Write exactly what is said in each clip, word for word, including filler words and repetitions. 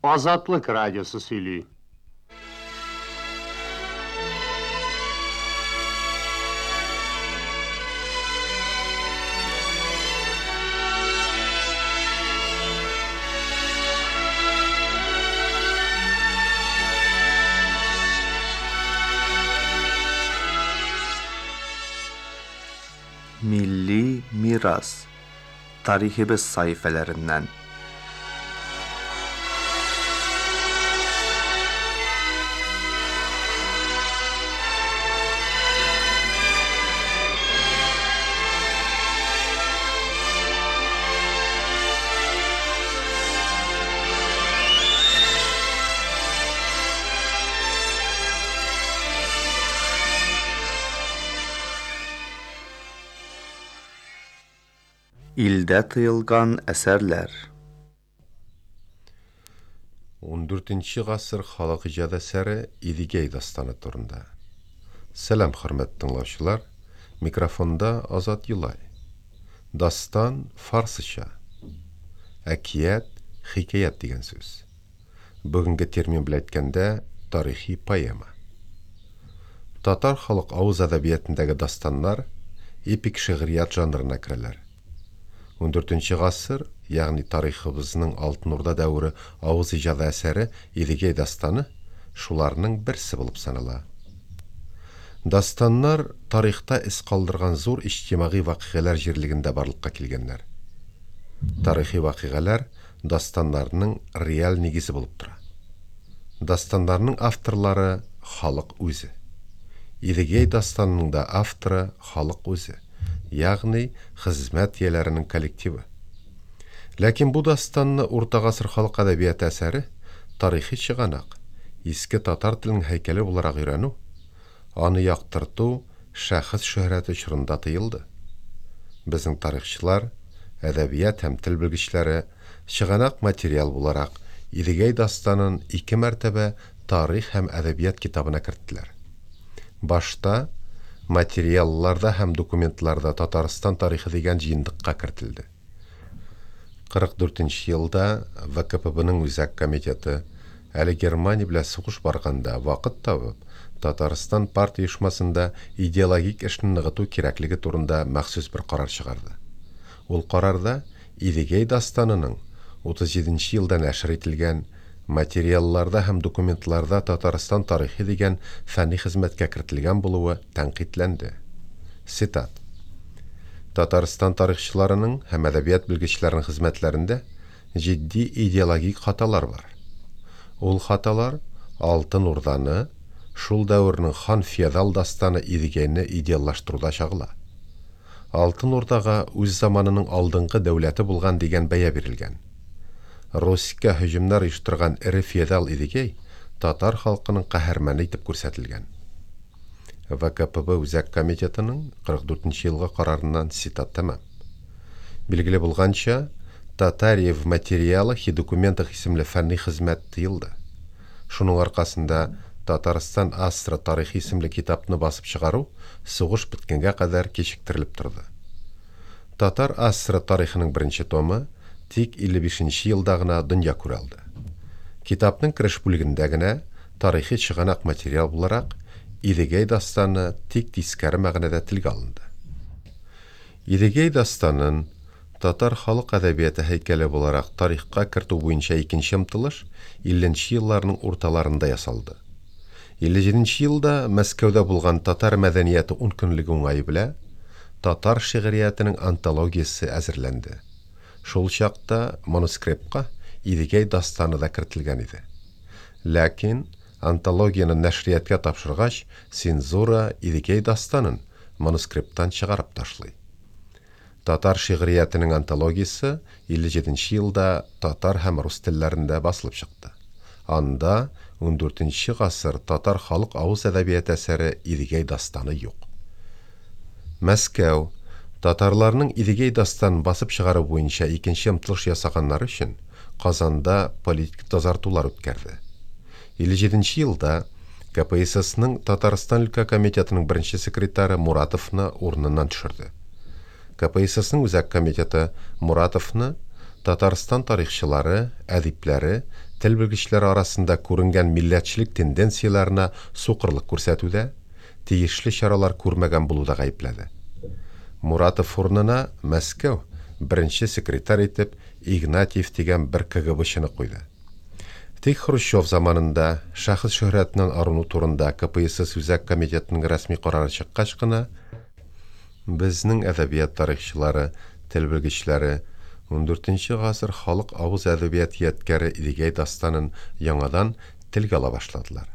Азатлык радиосы сөйли. Milli miras tariximiz sahifələrindən. Илдә тыелган әсәрләр. Ундүртенче гасыр халык иҗат әсәре Идегәй дастаны турында. Сәлам, хөрмәтле тыңлаучылар. Микрофонда Азат Юлай. Дастан фарсыча. Әкият, хикәят дигән сүз. Бүгенге термин белән әйткәндә, тарихи поэма. Татар халык авыз әдәбиятындагы дастаннар эпик шигърият жанрына керәләр. Ундүртенче гасыр, ягъни тарихыбызның Алтын Урда дәвере авыз иҗаты әсәре Идегәй дастаны шуларның берсе булып санала. Дастаннар тарихта эз калдырган зур иҗтимагый вакыйгалар җирлегендә барлыкка килгәннәр. Тарихи вакыйгалар дастаннарның реаль нигезе булып тора. Дастаннарның авторлары халык үзе. Идегәй дастанының да авторы халык үзе, ягъни хезмәт ияләренең коллективы. Ләкин бу дастанны Урта гасыр халык әдәбияты әсәре тарихи чыганак, иске татар теленең һәйкәле буларак өйрәнү, аны яктырту шәхес шөһрәте чорында тыелды. Безнең тарихчылар, әдәбият һәм тел белгечләре чыганак материал буларак Идегәй дастанын ике мәртәбә тарих һәм әдәбият китабына керттеләр. Башта материалларда һәм документларда Татарстан тарихы дигән җыентыкка кертелде. Кырык дүртенче елда вэ ка пэ бэның үзәк комитеты әле Германия белән сугыш барганда вакыт табып, Татарстан партия оешмасында идеологик эшне ныгыту кирәклеге турында махсус бер карар чыгарды. Ул карарда Идегәй дастанының утыз җиденче елда нәшер ителгән материалларда һәм документларда Татарстан тарихы дигән фәнни хезмәткә кертелгән булуы тәнкыйтьләнде. Цитат. Татарстан тарихчыларының һәм әдәбият белгечләренең хезмәтләрендә җитди идеологик хаталар бар. Ул хаталар Алтын Урданы, шул дәвернең хан феодал дастаны Идегәйне идеаллаштыруда чагыла. Алтын Урдага үз заманының алдынгы дәүләте булган дигән бәя бирелгән. Руська һөҗүмнәр оештырган эре феодал Идегәй татар халкының каһарманы итеп күрсәтелгән. вэ ка пэ бэ Үзәк комитетының кырык дүртенче елгы карарыннан цитат тәмам. Билгеле булганча, Татария в материалах и документах исемле фәнни хезмәт тыелды. Шуның аркасында Татарстан Астра тарихы исемле китапны басып чыгару сугыш беткәнгә кадәр кичектерелеп торды. Татар Астра тарихының беренче томы тик илле бишенче елда гына дөнья күрә алды. Китапның кереш бүлегендә генә тарихи чыганак материал буларак Идегәй дастаны тик тискәре мәгънәдә телгә алынды. Идегәй дастанын татар халык әдәбияты һәйкәле буларак тарихка кертү буенча икенче омтылыш илленче елларның урталарында ясалды. Илле җиденче елда Мәскәүдә булган татар мәдәнияте ун көнлеге уңае белән татар шигъриятенең антологиясе әзерләнде. Шул чакта манускриптка Идегәй дастаны да кертелгән иде. Ләкин антологияне нәшриятка тапшыргач, цензура Идегәй дастанын манускрипттан чыгарып ташлый. Татар шигъриятенең антологиясе илле җиденче елда татар һәм рус телләрендә басылып чыкты. Анда ундүртенче гасыр татар халык авыз әдәбияты әсәре Идегәй дастаны юк. Мәскәү татарларның Идегәй дастанын басып чыгару буенча икенче омтылыш ясаганнар өчен Казанда политик тазартулар үткәрде. Илле җиденче елда ка пэ эс эсның Татарстан өлкә комитетының беренче секретаре Муратовны урыныннан төшерде. ка пэ эс эсның үзәк комитеты Муратовны Татарстан тарихчылары, әдипләре, тел белгечләре арасында күренгән милләтчелек тенденцияләренә сукырлык күрсәтүдә, тиешле чаралар күрмәгән булуда гаепләде. Муратов урынына Мәскәү беренче секретарь итеп Игнатьев дигән бер КГБчыны куйды. Тик Хрущев заманында шәхес шөһрәтеннән арыну турында К П С С Үзәк комитетының рәсми карары чыккач кына безнең әдәбият тарихчылары, тел белгечләре ундүртенче гасыр халык авыз әдәбияты ядкәре Идегәй дастанын яңадан телгә ала башладылар.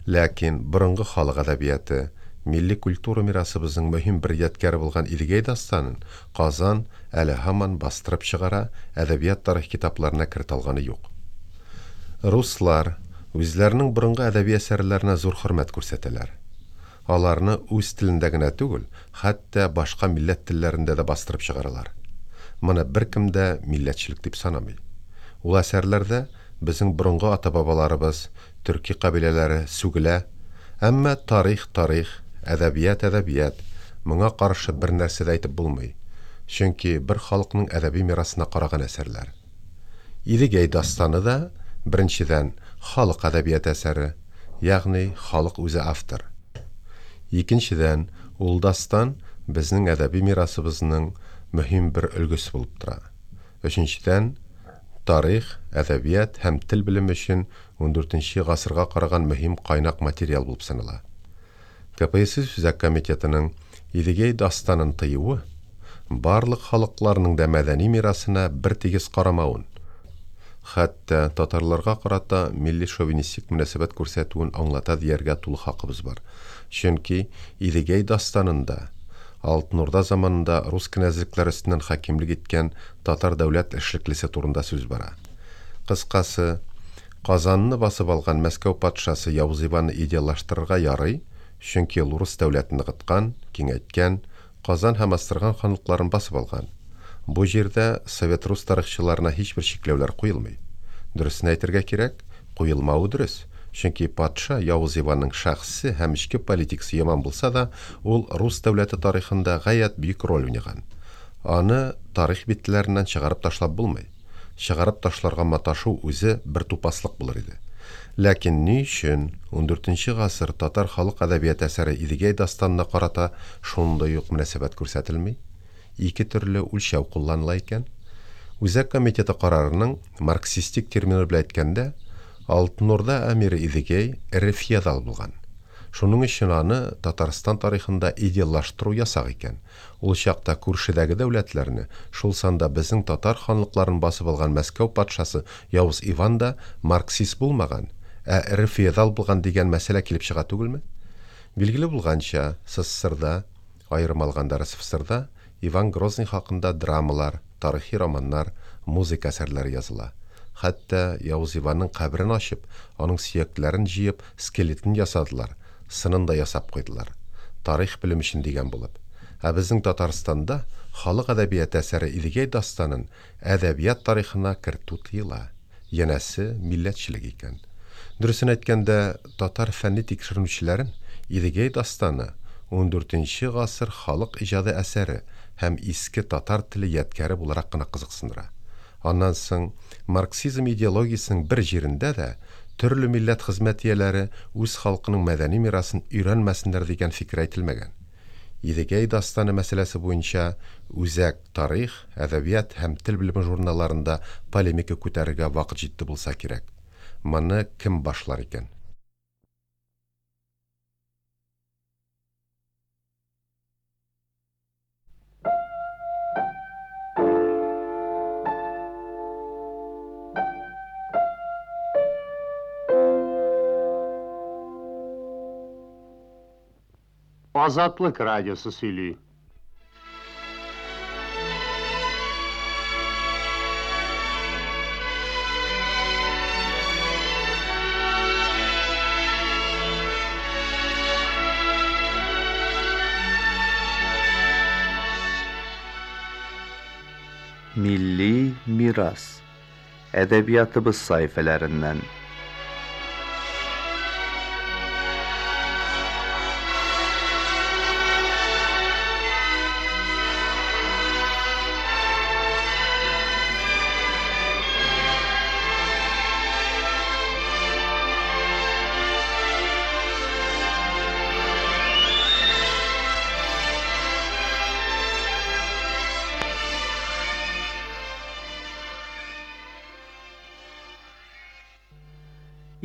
Ләкин борынгы халык әдәбияты, милли культура мирасыбызның мөһим бер ядкәре булган Идегәй дастанын Казан әле һаман бастырып чыгара, әдәбият тарих китапларына кертә алганы юк. Руслар үзләренең борынгы әдәби әсәрләренә зур хөрмәт күрсәтәләр. Аларны үз телендә генә түгел, хәтта башка милләт телләрендә дә бастырып чыгаралар. Моны беркем дә милләтчелек дип санамый. Ул әсәрләрдә безнең борынгы ата-бабаларыбыз, төрки кабиләләре сүгелә, әмма тарих тарих, әдәбият әдәбият, моңа каршы бер нәрсә дә әйтеп булмый. Чөнки бер халыкның әдәби мирасына караган әсәрләр. Идегәй дастаны да беренчедән халык әдәбияты әсәре, ягъни халык үзе автор. Икенчедән, ул дастан безнең әдәби мирасыбызның мөһим бер өлгесе булып тора. Өченчедән, тарих, әдәбият һәм тел белеме өчен ундүртенче гасырга караган мөһим кайнак материал булып санала. К П С С Үзәк комитетының Идегәй дастанын тыюы барлык халыкларның да мәдәни мирасына бер тигез карамавын, хәтта татарларга карата милли шовинистик мөнәсәбәт күрсәтүен аңлата дияргә тулы хакыбыз бар. Чөнки Идегәй дастанында Алтын Урда заманында рус кенәзлекләре өстеннән хакимлек иткән татар дәүләт эшлеклесе турында сүз бара. Кыскасы, Казанны басып алган Мәскәү патшасы Явыз Иванны идеаллаштырырга ярый, чөнки ул рус дәүләтен ныгыткан, киңәйткән, Казан һәм Астрахань ханлыкларын басып алган. Бу җирдә совет рус тарихчыларына һичбер чикләүләр куелмый. Дөресен әйтергә кирәк, куелмавы дөрес. Чөнки патша Явыз Иванның шәхсе һәм эчке политикасы яман булса да, ул рус дәүләте тарихында гаять бөек роль уйнаган. Аны тарих битләреннән чыгарып ташлап булмый. Чыгарып ташларга маташу үзе бер тупаслык булыр иде. Ләкин ни өчен ундүртенче гасыр татар халык әдәбияты әсәре Идегәй дастанына карата шундый ук мөнәсәбәт күрсәтелми? Ике төрле үлчәү кулланыла икән. Үзәк комитеты карарының марксистик термины белән әйткәндә, Алтын Урда әмире Идегәй эре феодал булган. Шуның өчен аны Татарстан тарихында идеаллаштыру ясак икән. Ул чакта күршедәге дәүләтләрне, шул санда безнең татар ханлыкларын басып алган Мәскәү патшасы Явыз Иван да марксист булмаган, ә эре феодал булган дигән мәсьәлә килеп чыга түгелме? Билгеле булганча, С С С Рда, аерым алганда Р С Ф С Рда Иван Грозный хакында драмалар, тарихи романнар, музыка әсәрләре языла. Хәтта Явыз Иванның каберен ачып, аның сөякләрен җыеп, скелетын ясадылар, сынын да ясап куйдылар. Тарих белем өчен дигән булып. Ә безнең Татарстанда халык әдәбияты әсәре Идегәй дастанын әдәбият тарихына кертү тыела. Янәсе милләтчелек икән. Дөресен әйткәндә, татар фәнни тикшеренүчеләрен Идегәй дастаны ундүртенче гасыр халык иҗады әсәре һәм иске татар теле ядкәре буларак кына кызыксындыра. Аннан соң марксизм идеологиясенең бер җирендә дә төрле милләт хезмәт ияләре үз халкының мәдәни мирасын өйрәнмәсеннәр дигән фикер әйтелмәгән. Идегәй дастаны мәсьәләсе буенча үзәк тарих, әдәбият һәм тел белеме журналларында полемика күтәрергә вакыт җитте булса кирәк. Моны кем башлар икән? Азатлык Радиосы сөйли. Milli miras. Edebiyatımız sayfelerinden.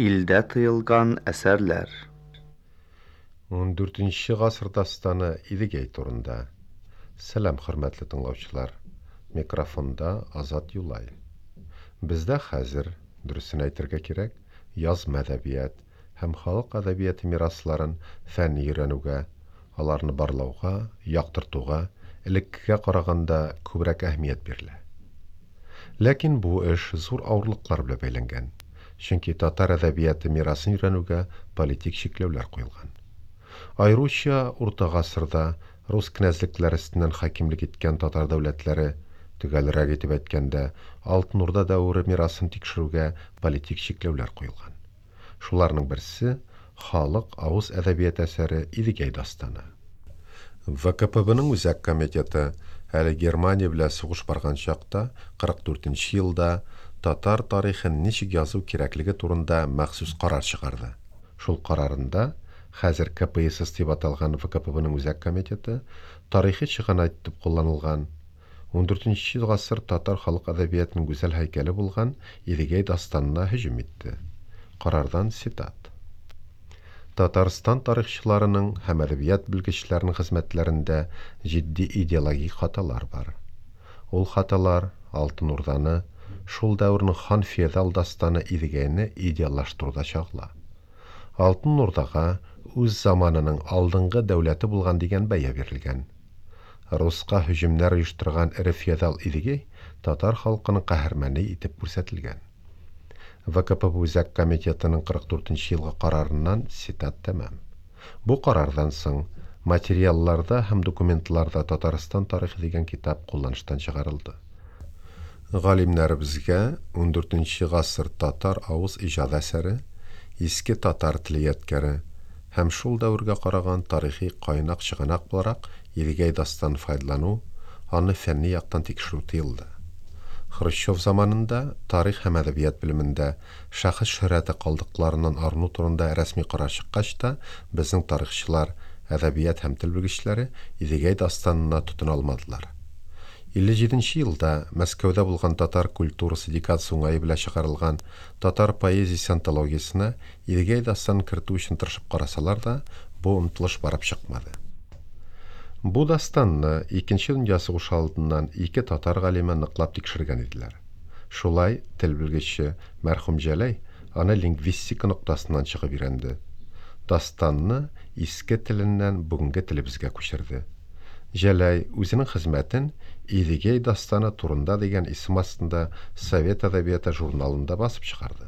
Илдә тыелган әсәрләр. Ундүртенче гасыр дастаны Идегәй турында. Сәлам, хөрмәтле тыңлаучылар. Микрофонда Азат Юлай. Бездә хәзер, дөресен әйтергә кирәк, язма әдәбият һәм халык әдәбияты мирасларын фәнни өйрәнүгә, аларны барлауга, яктыртуга элеккегә караганда күбрәк әһәмият бирелә. Ләкин бу эш зур авырлыклар белән бәйләнгән. Чөнки татар әдәбияты мирасын өйрәнүгә политик чикләүләр куелган. Аеруча Урта гасырда рус князьлекләре өстеннән хакимлек иткән татар дәүләтләре, төгәлрәк итеп әйткәндә, Алтын Урда дәвере мирасын тикшерүгә политик чикләүләр куелган. Шуларның берсе халык авыз әдәбияты әсәре Идегәй дастаны. вэ ка пэ бэның үзәк комитеты әле Германия белән сугыш барган чакта кырык дүртенче елда татар тарихын ничек язу кирәклеге турында махсус карар чыгарды. Шул карарында хәзер ка пэ эс эс дип аталган вэ ка пэ бэның үзәк комитеты тарихи чыганак итеп кулланылган ундүртенче гасыр татар халык әдәбиятының гүзәл һәйкәле булган Идегәй дастанына һөҗүм итте. Карардан цитат. Татарстан тарихчыларының һәм әдәбият белгечләренең хезмәтләрендә җитди идеологик хаталар бар. Ул хаталар Алтын Урданы, шул дәвернең хан феодал дастаны Идегәйне идеаллаштыруда чагыла. Алтын Урдага үз заманының алдынгы дәүләте булган дигән бәя бирелгән. Руска һөҗүмнәр оештырган эре феодал Идегәй татар халкының каһарманы итеп күрсәтелгән. вэ ка пэ бэ Үзәк комитетының кырык дүртенче елгы карарыннан цитат тәмам. Бу карардан соң материалларда һәм документларда Татарстан тарихы дигән китап кулланыштан чыгарылды. Галимнәребезгә ундүртенче гасыр татар авыз иҗады әсәре, иске татар теле ядкәре һәм шул дәвергә караган тарихи кайнак чыганак буларак Идегәй дастан файдалану, аны фәнни яктан тикшерү тыелды. Хрущев заманында тарих һәм әдәбият белемендә шәхес шөһрәте калдыкларыннан арыну турында рәсми карар чыккач та, безнең тарихчылар, әдәбият һәм тел белгечләре Идегәй дастанына тотына алмадылар. Илле җиденче елда Мәскәүдә булган татар культурасы декадасы уңае белән чыгарылган татар поэзиясе антологиясенә Идегәй дастанын кертү өчен тырышып карасалар да, бу омтылыш барып чыкмады. Бу дастанны Икенче дөнья сугышы алдыннан ике татар галиме ныклап тикшергән иделәр. Шулай тел белгече мәрхүм Җәләй аны лингвистика ноктасыннан чыгып өйрәнде. Дастанны иске теленнән бүгенге телебезгә күчерде. Җәләй үзенең хезмәтен Идегәй дастаны турында дигән исем астында Совет әдәбияты журналында басып чыгарды.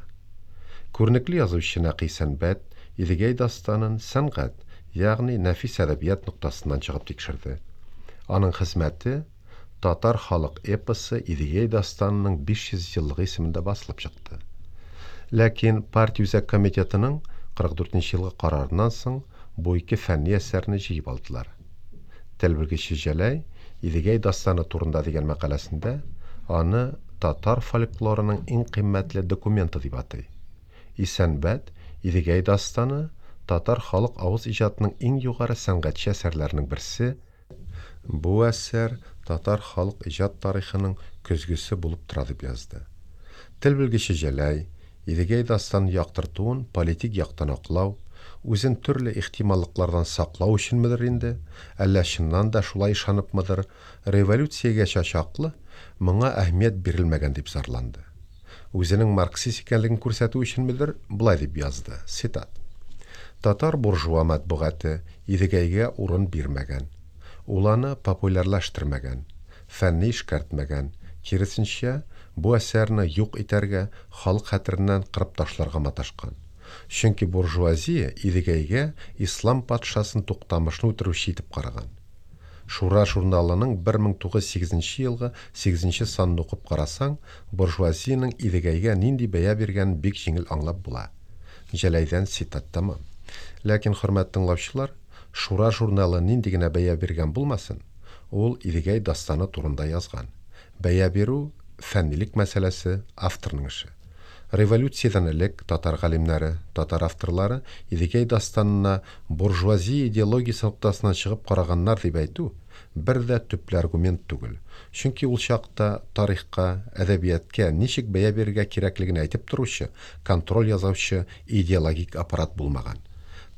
Күренекле язучы Нәкый Сәнбәт Идегәй дастанын сәнгать, ягъни нәфис әдәбият ноктасыннан чыгып тикшерде. Аның хезмәте Татар халык эпосы Идегәй дастанының биш йөз еллыгы исемендә басылып чыкты. Ләкин партия үзәк комитетының кырык дүртенче елгы карарыннан соң бу ике фәнни әсәрне җыеп алдылар. Тел белгече Җәләй Идегәй дастаны турында дигән мәкаләсендә аны татар фольклорының иң кыйммәтле документы дип атый. Исәнбәт Идегәй дастаны татар халык авыз иҗатының иң югары сәнгатьче әсәрләренең берсе. Бу әсәр татар халык иҗат тарихының көзгесе булып тора дип язды. Тел белгече Җәләй Идегәй дастанын яктыртуын политик яктан аклау, үзен төрле ихтималлыклардан саклау өченмедер инде, әллә чыннан да шулай ышаныпмыдыр, революциягәчә чаклы моңа әһәмият бирелмәгән дип зарланды. Үзенең марксист икәнлеген күрсәтү өченмедер, болай дип язды, цитат. Татар буржуа матбугаты Идегәйгә урын бирмәгән, ул аны популярлаштырмаган, фәнни эшкәртмәгән, киресенчә, бу әсәрне юк итәргә, халык хәтереннән кырып ташларга маташкан. Чөнки буржуазия Идегәйгә ислам патшасын Туктамышны үтерүче итеп караган. Шура журналының бер мең тугыз йөз сигезенче елгы сигезенче санын укып карасаң, буржуазиянең Идегәйгә нинди бәя биргәнен бик җиңел аңлап була. Җәләйдән цитат тәмам. Ләкин, хөрмәтле тыңлаучылар, Шура журналы нинди генә бәя биргән булмасын, ул Идегәй дастаны турында язган. Бәя бирү фәннилек мәсьәләсе, авторның эше. Революциядән элек татар галимнәре, татар авторлары Идегәй дастанына буржуазия идеологиясе ноктасыннан чыгып караганнар дип әйтү бер дә төпле аргумент түгел. Чөнки ул чакта тарихка, әдәбиятка ничек бәя бирергә кирәклеген әйтеп торучы, контроль ясаучы идеологик аппарат булмаган.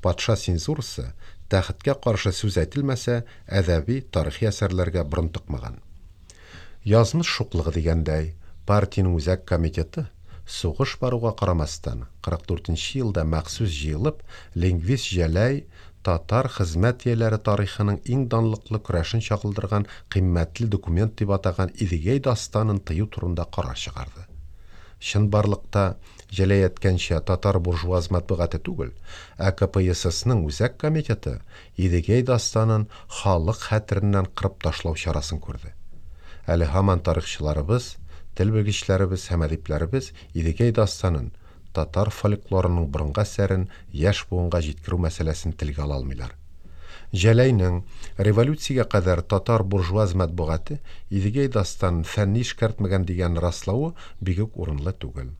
Патша цензурасы тәхеткә каршы сүз әйтелмәсә, әдәби, тарихи әсәрләргә борын тыкмаган. Язмыш шуклыгы дигәндәй, партиянең үзәк комитеты сугыш баруга карамастан, кырык дүртенче елда махсус җыелып, лингвист Җәләй татар хезмәт ияләре тарихының иң данлыклы көрәшен чагылдырган кыйммәтле документ дип атаган Идегәй дастанын тыю турында карар чыгарды. Чынбарлыкта Җәләй әйткәнчә татар буржуаз матбугаты түгел, ә К П С С-ның үзәк комитеты Идегәй дастанын халык хәтереннән кырып ташлау чарасын күрде. Әле һаман тарихчыларыбыз, тел белгечләребез һәм әдипләребез Идегәй дастанын татар фольклорының борынгы әсәрен яшь буынга җиткерү мәсьәләсен телгә ала алмыйлар. Җәләйнең революциягә кадәр татар буржуаз матбугаты Идегәй дастанын фәнни эшкәртмәгән дигән раславы бик үк урынлы түгел.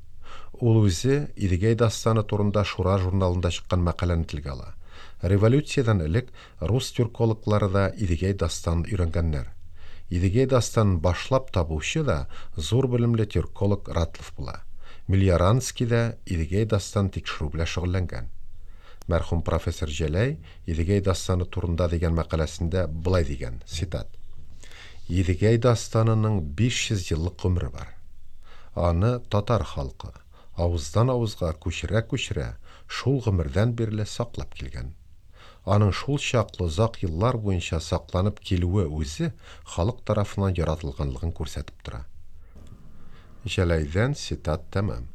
Ул үзе Идегәй дастаны турында Шура журналында чыккан мәкаләне телгә ала. Революциядән элек рус тюркологлары да Идегәй дастанын өйрәнгәннәр. Идегәй дастанын башлап табучы да зур белемле тюрколог Ратлов була. Мелиоранский да Идегәй дастан тикшерү белән шөгыльләнгән. Мәрхүм профессор Җәләй Идегәй дастаны турында дигән мәкаләсендә былай дигән, цитат: Идегәй дастанының биш йөз еллык гомере бар. Аны татар халкы авыздан авызга күчерә-күчерә шул гомердән бирле саклап килгән. Аның шул чаклы озак еллар буенча сакланып килүе үзе халык тарафыннан яратылганлыгын күрсәтеп тора. Җәләйдән цитат тәмам.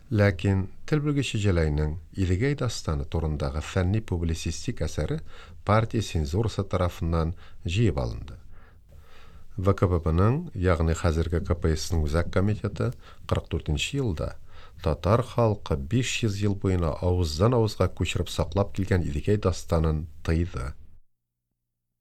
Ләкин тел белгече Җәләйнең Идегәй дастаны турындагы фәнни публицистик әсәре партия цензурасы тарафыннан җыеп алынды. В К П Б-ның, ягъни хәзерге К П С-ның үзәк комитеты кырык дүртенче елда татар халкы биш йөз ел буена авыздан авызга күчереп саклап килгән Идегәй дастанын тыйды.